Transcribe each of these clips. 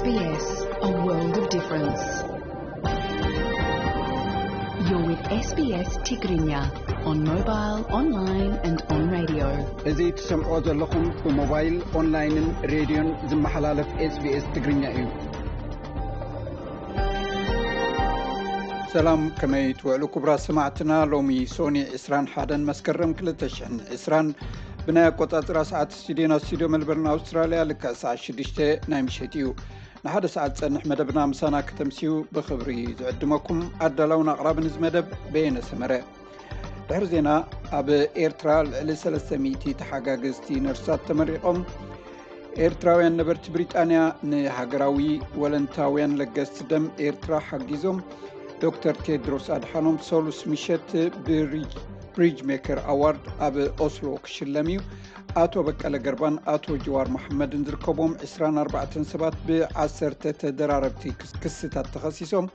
S B S, a world of difference. You're with S B S Tigrinya on mobile, online and on radio. እዚ ትሰምዖ ዘለኹም ብሞባይል፣ ኦንላይንን ሬድዮን ዝመሓላለፍ SBS ትግርኛ እዩ። ሰላም፣ ከመይ ትውዕሉ ክቡራት ሰማዕትና? ሎሚ ሶኒ ዕስራን ሓደን መስከረም ክልተ ሽሕን ዕስራን ብናይ ኣቆጻጽራ ሰዓት ስቱድዮና፣ ስቱድዮ መልበርን ኣውስትራልያ፣ ልክዕ ሰዓት ሽዱሽተ ናይ ምሸት እዩ። ንሓደ ሰዓት ዝጸንሕ መደብና ምሳና ከተምስዩ ብኽብሪ ዝዕድመኩም ኣዳላውን ኣቕራብን እዚ መደብ በየነ ሰመረ። ድሕሪ ዜና፣ ኣብ ኤርትራ ልዕሊ ሰለስተ ሚእቲ ተሓጋገዝቲ ነርሳት ተመሪቖም። ኤርትራውያን ነበርቲ ብሪጣንያ ንሃገራዊ ወለንታውያን ለገስቲ ደም ኤርትራ ሓጊዞም። ዶክተር ቴድሮስ ኣድሓኖም ሰሉስ ምሸት ብሪጅ፣ ብሪጅ ሜከር ኣዋርድ ኣብ ኦስሎ ክሽለም እዩ። ኣቶ በቀለ ገርባን ኣቶ ጅዋር መሓመድን ዝርከብዎም ዕስራን ኣርባዕተን ሰባት ብዓሰርተ ተደራረብቲ ክስ-፣ ክስታት ተኸሲሶም።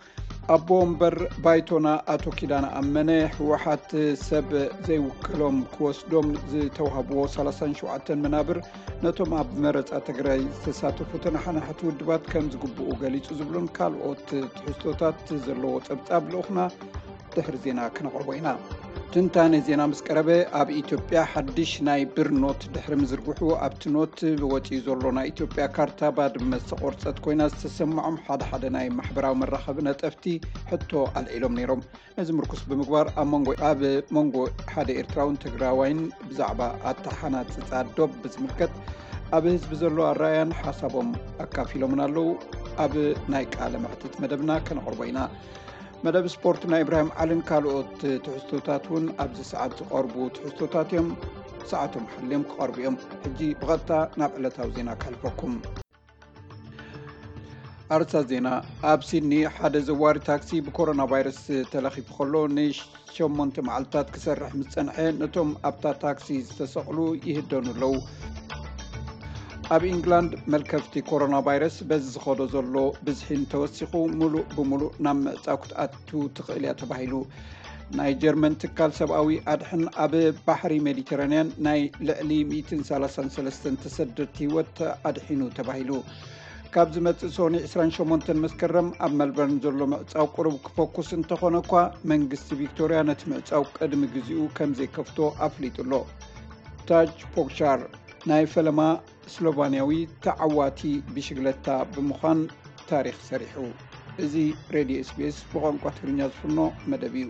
ኣቦ ወንበር ባይቶና ኣቶ ኪዳነ ኣመነ፣ ህወሓት ሰብ ዘይውክሎም ክወስዶም ዝተዋህብዎ ሰላሳን ሸውዓተን መናብር ነቶም ኣብ መረጻ ትግራይ ዝተሳተፉ ተነሓናሕቲ ውድባት ከም ዝግብኡ ገሊጹ ዝብሉን ካልኦት ትሕዝቶታት ዘለዎ ጸብጻብ ልኡኽና ድሕሪ ዜና ክነቕርቦ ኢና። ትንታነ ዜና ምስ ቀረበ፣ ኣብ ኢትዮጵያ ሓድሽ ናይ ብር ኖት ድሕሪ ምዝርግሑ፣ ኣብቲ ኖት ወጺኡ ዘሎ ናይ ኢትዮጵያ ካርታ ባድመ ዝተቖርጸት ኮይና ዝተሰምዖም ሓደ ሓደ ናይ ማሕበራዊ መራኸቢ ነጠፍቲ ሕቶ ኣልዒሎም ነይሮም። ነዚ ምርኩስ ብምግባር፣ ኣብ መንጎ፣ ኣብ መንጎ ሓደ ኤርትራውን ትግራዋይን ብዛዕባ ኣተሓናጽጻ ዶብ ብዝምልከት ኣብ ህዝቢ ዘሎ ኣረኣያን ሓሳቦም ኣካፊሎምን ኣለዉ። ኣብ ናይ ቃለ መሕትት መደብና ከነቕርቦ ኢና። መደብ ስፖርት ናይ ኢብራሂም ዓልን ካልኦት ትሕዝቶታት እውን ኣብዚ ሰዓት ዝቐርቡ ትሕዝቶታት እዮም። ሰዓቶም ሓልዮም ክቐርቡ እዮም። ሕጂ ብቐጥታ ናብ ዕለታዊ ዜና ከሕልፈኩም። ኣርሳ ዜና። ኣብ ሲድኒ ሓደ ዘዋሪ ታክሲ ብኮሮና ቫይረስ ተለኺፉ ከሎ ንሸሞንተ መዓልታት ክሰርሕ ምስ ጸንሐ፣ ነቶም ኣብታ ታክሲ ዝተሰቕሉ ይህደኑ ኣለዉ። ኣብ ኢንግላንድ መልከፍቲ ኮሮና ቫይረስ በዚ ዝኸዶ ዘሎ ብዝሒ እንተወሲኹ፣ ሙሉእ ብሙሉእ ናብ ምዕጻው ክትኣቱ ትኽእል እያ ተባሂሉ። ናይ ጀርመን ትካል ሰብኣዊ ኣድሕን ኣብ ባሕሪ ሜዲተራንያን ናይ ልዕሊ ሚእትን ሰላሳን ሰለስተን ተሰደድቲ ህይወት ኣድሒኑ ተባሂሉ። ካብ ዝመጽእ ሶኒ ዕስራን ሸሞንተን መስከረም ኣብ መልበርን ዘሎ ምዕጻው ቁሩብ ክፈኩስ እንተኾነ እኳ፣ መንግስቲ ቪክቶርያ ነቲ ምዕጻው ቅድሚ ግዜኡ ከም ዘይከፍቶ ኣፍሊጡ ኣሎ። ታጅ ፖግሻር ናይ ፈለማ ስሎቫንያዊ ተዓዋቲ ብሽግለታ ብምዃን ታሪኽ ሰሪሑ። እዚ ሬድዮ SBS ብቋንቋ ትግርኛ ዝፍኖ መደብ እዩ።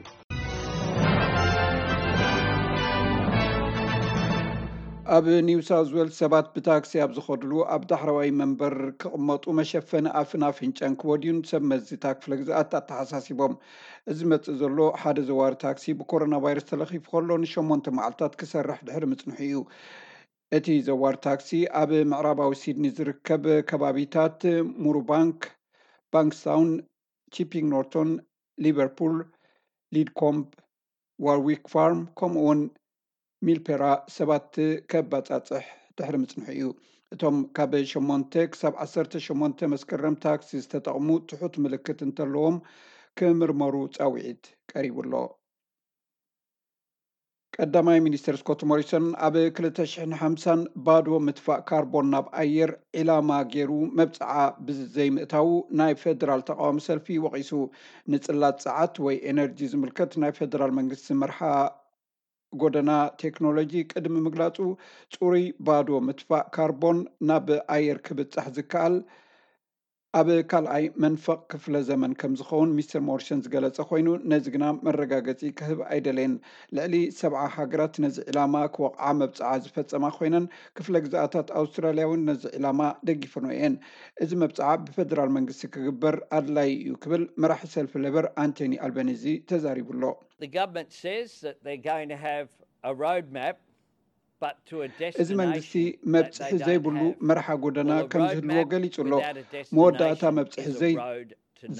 ኣብ ኒው ሳውዝ ዌልስ ሰባት ብታክሲ ኣብ ዝኸድሉ ኣብ ዳሕረዋይ መንበር ክቕመጡ መሸፈኒ ኣፍን ኣፍንጫን ክወድዩን ሰብ መዚ እታ ክፍለ ግዝኣት ኣተሓሳሲቦም። እዚ መጽእ ዘሎ ሓደ ዘዋሪ ታክሲ ብኮሮና ቫይረስ ተለኺፉ ከሎ ንሸሞንተ መዓልታት ክሰርሕ ድሕሪ ምጽንሑ እዩ። እቲ ዘዋሪ ታክሲ ኣብ ምዕራባዊ ሲድኒ ዝርከብ ከባቢታት ሙሩባንክ፣ ባንክስታውን፣ ቺፒንግ ኖርቶን፣ ሊቨርፑል፣ ሊድኮምብ፣ ዋርዊክ ፋርም፣ ከምኡውን ሚልፔራ ሰባት ከባጻጽሕ ድሕሪ ምጽንሑ እዩ። እቶም ካብ ሸሞንተ ክሳብ ዓሰርተ ሸሞንተ መስከረም ታክሲ ዝተጠቕሙ ትሑት ምልክት እንተለዎም ክምርመሩ ጻውዒት ቀሪቡ ኣሎ። ቀዳማይ ሚኒስትር ስኮት ሞሪሰን ኣብ ክልተ ሽሕን ሓምሳን ባዶ ምትፋእ ካርቦን ናብ ኣየር ዒላማ ገይሩ መብጽዓ ብዘይምእታዉ ናይ ፌደራል ተቃዋሚ ሰልፊ ወቒሱ። ንጽላት ጸዓት ወይ ኤነርጂ ዝምልከት ናይ ፌደራል መንግስቲ መርሓ ጎደና ቴክኖሎጂ ቅድሚ ምግላጹ፣ ጽሩይ ባዶ ምትፋእ ካርቦን ናብ ኣየር ክብጻሕ ዝከኣል ኣብ ካልኣይ መንፈቕ ክፍለ ዘመን ከም ዝኸውን ሚስተር ሞሪሰን ዝገለጸ ኮይኑ፣ ነዚ ግና መረጋገጺ ክህብ ኣይደለየን። ልዕሊ ሰብዓ ሃገራት ነዚ ዕላማ ክወቕዓ መብጽዓ ዝፈጸማ ኮይነን፣ ክፍለ ግዝኣታት ኣውስትራልያ እውን ነዚ ዕላማ ደጊፈንኦ እየን። እዚ መብጽዓ ብፌደራል መንግስቲ ክግበር ኣድላዪ እዩ ክብል መራሒ ሰልፊ ሌበር ኣንቶኒ ኣልበኒዚ ተዛሪቡ ኣሎ። The government says that they're going to have a roadmap, but to a destination. እዚ መንግስቲ መብጽሒ ዘይብሉ መርሓ ጎደና ከም ዝህልዎ ገሊጹ ኣሎ። መወዳእታ መብጽሒ ዘይ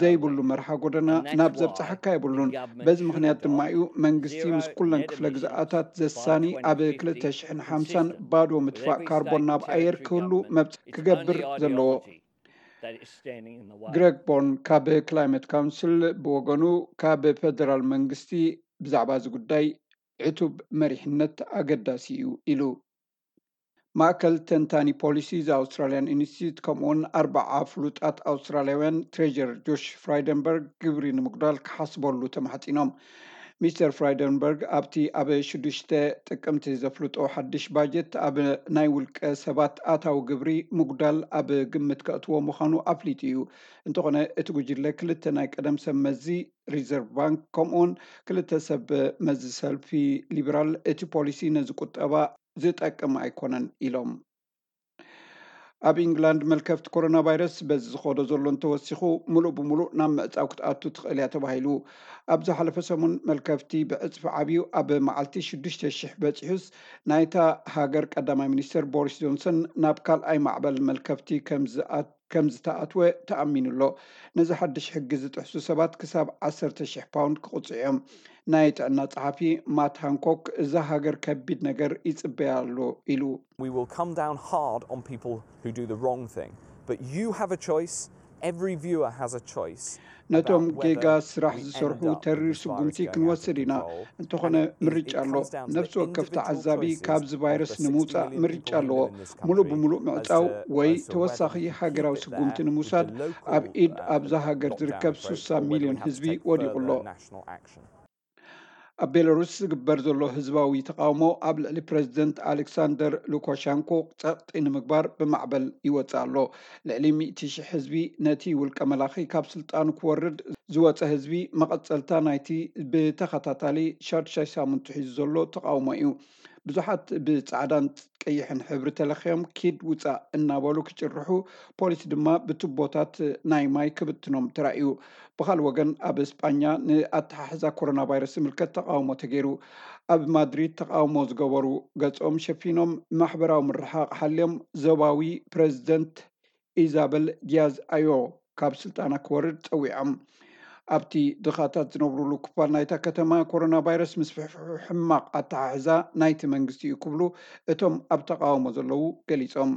ዘይብሉ መርሓ ጎደና ናብ ዘብጽሓካ የብሉን። በዚ ምኽንያት ድማ እዩ መንግስቲ ምስ ኩለን ክፍለ ግዝኣታት ዘሳኒ ኣብ ክልተ ሽሕን ሓምሳን ባዶ ምትፋእ ካርቦን ናብ ኣየር ክህሉ መብጽ ክገብር ዘለዎ። ግረግ ቦርን ካብ ክላይመት ካውንስል ብወገኑ፣ ካብ ፌደራል መንግስቲ ብዛዕባ እዚ ጉዳይ ዕቱብ መሪሕነት ኣገዳሲ እዩ ኢሉ። ማእከል ተንታኒ ፖሊሲ ዘ ኣውስትራልያን ኢንስቲትዩት ከምኡውን ኣርባዓ ፍሉጣት ኣውስትራልያውያን ትሬጀር ጆሽ ፍራይደንበርግ ግብሪ ንምጉዳል ክሓስበሉ ተማሕፂኖም። ሚስተር ፍራይደንበርግ ኣብቲ ኣብ ሽዱሽተ ጥቅምቲ ዘፍልጦ ሓድሽ ባጀት ኣብ ናይ ውልቀ ሰባት ኣታዊ ግብሪ ምጉዳል ኣብ ግምት ከእትዎ ምዃኑ ኣፍሊጡ እዩ። እንተኾነ እቲ ጉጅለ ክልተ ናይ ቀደም ሰብ መዚ ሪዘርቭ ባንክ ከምኡውን ክልተ ሰብ መዚ ሰልፊ ሊበራል እቲ ፖሊሲ ነዚ ቁጠባ ዝጠቅም ኣይኮነን ኢሎም። ኣብ ኢንግላንድ መልከፍቲ ኮሮና ቫይረስ በዚ ዝኸዶ ዘሎ እንተወሲኹ ምሉእ ብምሉእ ናብ ምዕፃው ክትኣቱ ትኽእል እያ ተባሂሉ። ኣብ ዝሓለፈ ሰሙን መልከፍቲ ብዕፅፊ ዓብዩ ኣብ መዓልቲ ሽዱሽተ ሽሕ በፂሑስ ናይታ ሃገር ቀዳማይ ሚኒስትር ቦሪስ ጆንሰን ናብ ካልኣይ ማዕበል መልከፍቲ ከም ዝኣ- ከም ዝተኣትወ ተኣሚኑ ኣሎ። ነዚ ሓድሽ ሕጊ ዝጥሕሱ ሰባት ክሳብ ዓሰርተ ሽሕ ፓውንድ ክቕፅዑ እዮም። ናይ ጥዕና ጸሓፊ ማት ሃንኮክ እዛ ሃገር ከቢድ ነገር ይጽበያ ኣሎ ኢሉ። We will come down hard on people who do the wrong thing. But you have a choice. Every viewer has a choice. ነቶም ጌጋ ስራሕ ዝሰርሑ ተሪር ስጉምቲ ክንወስድ ኢና። እንተኾነ ምርጫ ኣሎ። ነፍሲ ወከፍ ተዓዛቢ ካብዚ ቫይረስ ንምውፃእ ምርጫ ኣለዎ። ሙሉእ ብምሉእ ምዕፃው ወይ ተወሳኺ ሃገራዊ ስጉምቲ ንምውሳድ ኣብ ኢድ ኣብዛ ሃገር ዝርከብ ስሳ ሚልዮን ህዝቢ ወዲቑ ኣሎ። ኣብ ቤላሩስ ዝግበር ዘሎ ህዝባዊ ተቃውሞ ኣብ ልዕሊ ፕረዚደንት ኣሌክሳንደር ሉካሻንኮ ጸቕጢ ንምግባር ብማዕበል ይወጽእ ኣሎ። ልዕሊ ሚእቲ ሽሕ ህዝቢ ነቲ ውልቀ መላኺ ካብ ስልጣኑ ክወርድ ዝወጸ ህዝቢ መቐጸልታ ናይቲ ብተኸታታሊ ሻዱሻይ ሳምንቱ ሒዙ ዘሎ ተቃውሞ እዩ። ብዙሓት ብጻዕዳን ቀይሕን ሕብሪ ተለኽዮም ኪድ ውጻእ እናበሉ ክጭርሑ፣ ፖሊስ ድማ ብቱቦታት ናይ ማይ ክብትኖም ተራእዩ። ብኻልእ ወገን ኣብ እስጳኛ ንኣተሓሕዛ ኮሮና ቫይረስ ዝምልከት ተቃውሞ ተገይሩ። ኣብ ማድሪድ ተቃውሞ ዝገበሩ ገጾም ሸፊኖም ማሕበራዊ ምርሓቕ ሓልዮም ዞባዊ ፕረዚደንት ኢዛበል ዲያዝ ኣዮ ካብ ስልጣና ክወርድ ጸዊዖም። ኣብቲ ድኻታት ዝነብሩሉ ክፋል ናይታ ከተማ ኮሮና ቫይረስ ምስፍሕፍሑ ሕማቕ ኣተሓሕዛ ናይቲ መንግስቲ እዩ ክብሉ እቶም ኣብ ተቃውሞ ዘለዉ ገሊጾም።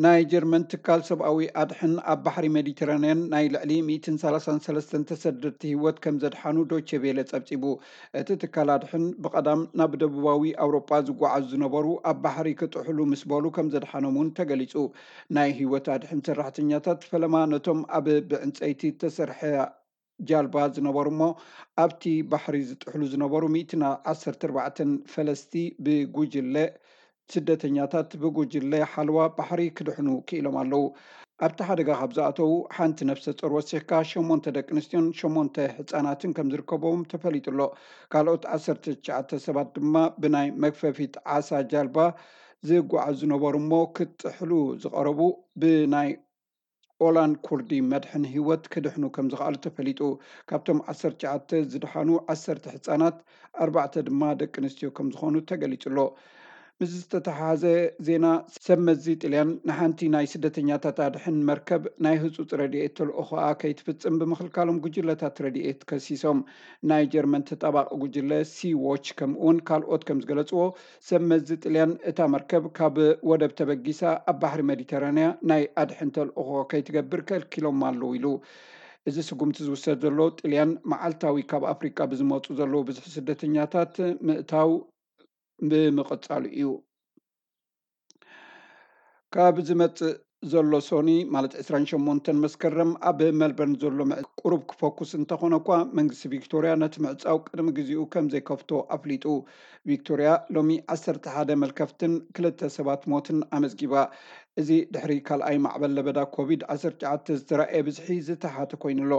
ናይ ጀርመን ትካል ሰብኣዊ ኣድሕን ኣብ ባሕሪ ሜዲተራንያን ናይ ልዕሊ ሚእትን ሰላሳን ሰለስተን ተሰደድቲ ህይወት ከም ዘድሓኑ ዶቼ ቬለ ጸብጺቡ። እቲ ትካል ኣድሕን ብቐዳም ናብ ደቡባዊ ኣውሮጳ ዝጓዓዙ ዝነበሩ ኣብ ባሕሪ ክጥሕሉ ምስ በሉ ከም ዘድሓኖም እውን ተገሊጹ። ናይ ህይወት ኣድሕን ሰራሕተኛታት ፈለማ ነቶም ኣብ ብዕንጸይቲ እተሰርሐ ጃልባ ዝነበሩ እሞ ኣብቲ ባሕሪ ዝጥሕሉ ዝነበሩ ሚእትን ዓሰርተ ኣርባዕተን ፈለስቲ ብጉጅለ ስደተኛታት ብጉጅለ ሓለዋ ባሕሪ ክድሕኑ ክኢሎም ኣለዉ። ኣብቲ ሓደጋ ካብ ዝኣተዉ ሓንቲ ነፍሰ ጾር ወሲኽካ ሸሞንተ ደቂ ኣንስትዮን ሸሞንተ ህጻናትን ከም ዝርከብዎም ተፈሊጡ ኣሎ። ካልኦት ዓሰርተ ትሽዓተ ሰባት ድማ ብናይ መግፈፊት ዓሳ ጃልባ ዝጓዓዙ ዝነበሩ እሞ ክጥሕሉ ዝቐረቡ ብናይ ኦላን ኩርዲ መድሕን ህይወት ክድሕኑ ከም ዝኸኣሉ ተፈሊጡ። ካብቶም ዓሰርተ ትሽዓተ ዝድሓኑ ዓሰርተ ህጻናት፣ ኣርባዕተ ድማ ደቂ ኣንስትዮ ከም ዝኾኑ ተገሊጹ ኣሎ። ምስ ዝተተሓሓዘ ዜና ሰብ መዚ ጥልያን ንሓንቲ ናይ ስደተኛታት ኣድሕን መርከብ ናይ ህጹጽ ረድኤት ተልእኾኣ ከይትፍጽም ብምኽልካሎም ጉጅለታት ረድኤት ከሲሶም። ናይ ጀርመን ተጣባቂ ጉጅለ ሲ ዎች ከምኡውን ካልኦት ከም ዝገለጽዎ ሰብ መዚ ጥልያን እታ መርከብ ካብ ወደብ ተበጊሳ ኣብ ባሕሪ ሜዲተራንያ ናይ ኣድሕን ተልእኾ ከይትገብር ከልኪሎም ኣለዉ ኢሉ። እዚ ስጉምቲ ዝውሰድ ዘሎ ጥልያን መዓልታዊ ካብ ኣፍሪቃ ብዝመፁ ዘለዉ ብዝሒ ስደተኛታት ምእታው ብምቕጻሉ እዩ። ካብ ዝመጽእ ዘሎ ሶኒ ማለት ዕስራን ሸሞንተን መስከረም ኣብ ሜልበርን ዘሎ ምዕ- ቁሩብ ክፈኩስ እንተኾነ እኳ መንግስቲ ቪክቶርያ ነቲ ምዕጻው ቅድሚ ግዜኡ ከም ዘይከፍቶ ኣፍሊጡ። ቪክቶርያ ሎሚ ዓሰርተ ሓደ መልከፍትን ክልተ ሰባት ሞትን ኣመዝጊባ። እዚ ድሕሪ ካልኣይ ማዕበል ለበዳ ኮቪድ ዓሰርተ ትሽዓተ ዝተራእየ ብዝሒ ዝተሓተ ኮይኑ ኣሎ።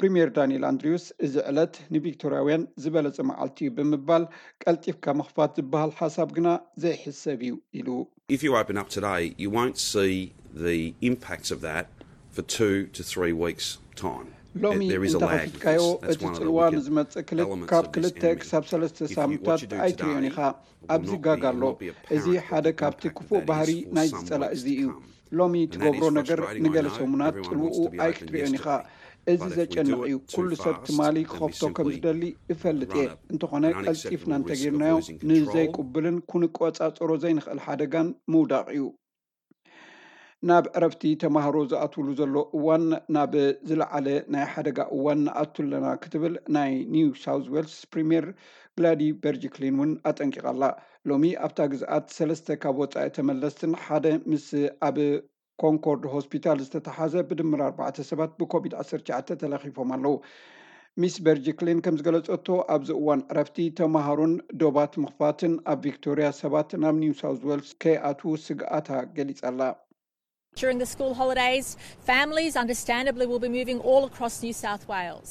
ፕሪምየር ዳንኤል ኣንድሪውስ እዚ ዕለት ንቪክቶርያውያን ዝበለጸ መዓልቲ እዩ ብምባል ቀልጢፍካ ምኽፋት ዝበሃል ሓሳብ ግና ዘይሕሰብ እዩ ኢሉ። If you open up today, you won't see the impacts of that for two to three weeks' time. ሎሚ እንተኸፊትካዮ እቲ ጽልዋ ንዝመጽእ ክልተ ካብ ክልተ ክሳብ ሰለስተ ሳምንታት ኣይትሪዮን ኢኻ። ኣብዚ ጋግ ኣሎ። እዚ ሓደ ካብቲ ክፉእ ባህሪ ናይዚ ጸላኢ እዚ እዩ። ሎሚ ትገብሮ ነገር ንገለ ሰሙናት ጽልውኡ ኣይክትሪኦን ኢኻ። እዚ ዘጨንቕ እዩ። ኩሉ ሰብ ትማሊ ክኸፍቶ ከም ዝደሊ እፈልጥ እየ። እንተኾነ ቀልጢፍና እንተጌርናዮ ንዘይቅቡልን ክንቆጻጸሮ ዘይንኽእል ሓደጋን ምውዳቕ እዩ። ናብ ዕረፍቲ ተማሃሮ ዝኣትውሉ ዘሎ እዋን ናብ ዝለዓለ ናይ ሓደጋ እዋን ንኣቱ ኣለና ክትብል ናይ ኒው ሳውዝ ዌልስ ፕሪምየር ግላዲ በርጅክሊን እውን ኣጠንቂቓ ኣላ። ሎሚ ኣብታ ግዝኣት ሰለስተ ካብ ወጻኢ ተመለስትን ሓደ ምስ ኣብ ኮንኮርድ ሆስፒታል ዝተተሓዘ ብድምር ኣርባዕተ ሰባት ብኮቪድ ዓሰርተ ትሽዓተ ተለኺፎም ኣለዉ። ሚስ በርጅክሊን ከም ዝገለጸቶ ኣብዚ እዋን ዕረፍቲ ተማሃሮን ዶባት ምኽፋትን ኣብ ቪክቶርያ ሰባት ናብ ኒው ሳውዝ ዌልስ ከይኣትዉ ስግኣታ ገሊጻ ኣላ። During the school holidays, families understandably will be moving all across New South Wales.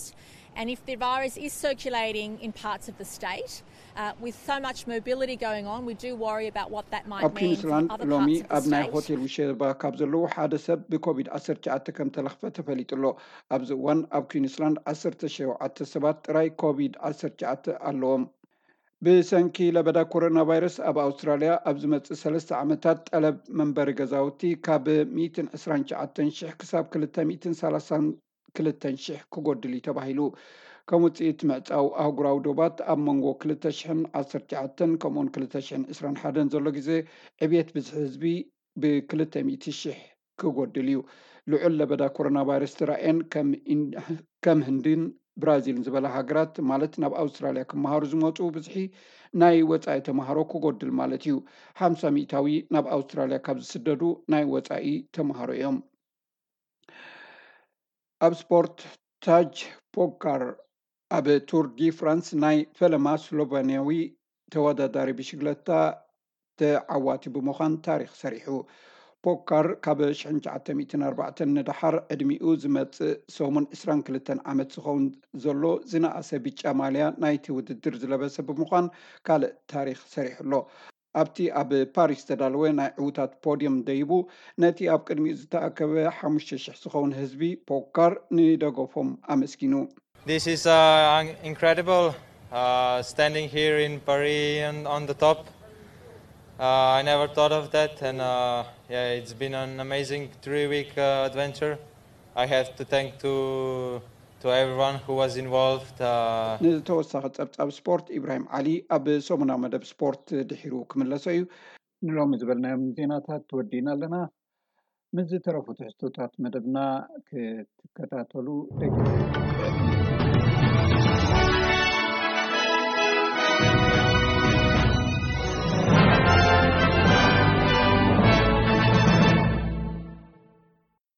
And if the virus is circulating in parts of the state, uh, with so much mobility going on, we do worry about what that might ኣብ mean for ኩዊንስላንድ other ሎሚ parts of the ኣብ ናይ state. ሆቴል ውሸባ ካብ ዘለዉ ሓደ ሰብ ብኮቪድ ዓሰርተ ትሽዓተ ከም ተለኽፈ ተፈሊጡ ኣሎ። ኣብዚ እዋን ኣብ ኩዊንስላንድ ዓሰርተ ሸውዓተ ሰባት ጥራይ ኮቪድ ዓሰርተ ትሽዓተ ኣለዎም። ብሰንኪ ለበዳ ኮሮና ቫይረስ ኣብ ኣውስትራልያ ኣብ ዝመጽእ ሰለስተ ዓመታት ጠለብ መንበሪ ገዛውቲ ካብ ሚእትን ዕስራን ትሽዓተን ሽሕ ክሳብ ክልተ ሚእትን ሰላሳን ክልተን ሽሕ ክጎድል እዩ ተባሂሉ። ከም ውጽኢት ምዕጻው ኣህጉራዊ ዶባት ኣብ መንጎ ክልተ ሽሕን ዓሰርተ ትሽዓተን ከምኡውን ክልተ ሽሕን ዕስራን ሓደን ዘሎ ግዜ ዕብየት ብዝሒ ህዝቢ ብክልተ ሚእቲ ሽሕ ክጎድል እዩ። ልዑል ለበዳ ኮሮና ቫይረስ ተራእየን ከም ኢን- ከም ህንድን ብራዚልን ዝበላ ሃገራት ማለት ናብ ኣውስትራልያ ክመሃሩ ዝመፁ ብዝሒ ናይ ወፃኢ ተምሃሮ ክጎድል ማለት እዩ። ሓምሳ ሚእታዊ ናብ ኣውስትራልያ ካብ ዝስደዱ ናይ ወፃኢ ተምሃሮ እዮም። ኣብ ስፖርት ታጅ ፖጋር ኣብ ቱር ዲ ፍራንስ ናይ ፈለማ ስሎቨንያዊ ተወዳዳሪ ብሽግለታ ተዓዋቲ ብምዃን ታሪኽ ሰሪሑ። ፖካር ካብ ሽሕን ትሽዓተ ሚእትን ኣርባዕተን ንደሓር ዕድሚኡ ዝመጽእ ሰሙን ዕስራን ክልተን ዓመት ዝኸውን ዘሎ ዝነኣሰ ብጫ ማልያ ናይቲ ውድድር ዝለበሰ ብምዃን ካልእ ታሪኽ ሰሪሑ ኣሎ። ኣብቲ ኣብ ፓሪስ ዝተዳለወ ናይ ዕዉታት ፖድየም ደይቡ ነቲ ኣብ ቅድሚኡ ዝተኣከበ ሓሙሽተ ሽሕ ዝኸውን ህዝቢ ፖካር ንደገፎም ኣመስጊኑ። This is uh, incredible uh, standing here in Paris and on the top. Uh, I never thought of that, and uh, yeah, it's been an amazing three-week uh, adventure. I have to thank to to everyone who was involved. Uh, ንተወሳኺ ጸብጻብ ስፖርት ኢብራሂም ዓሊ ኣብ ሰሙናዊ መደብ ስፖርት ድሒሩ ክምለሶ እዩ። ንሎሚ ዝበልናዮም ዜናታት ወዲእና ኣለና። ምስ ዝተረፉ ትሕዝቶታት መደብና ክትከታተሉ ደጊ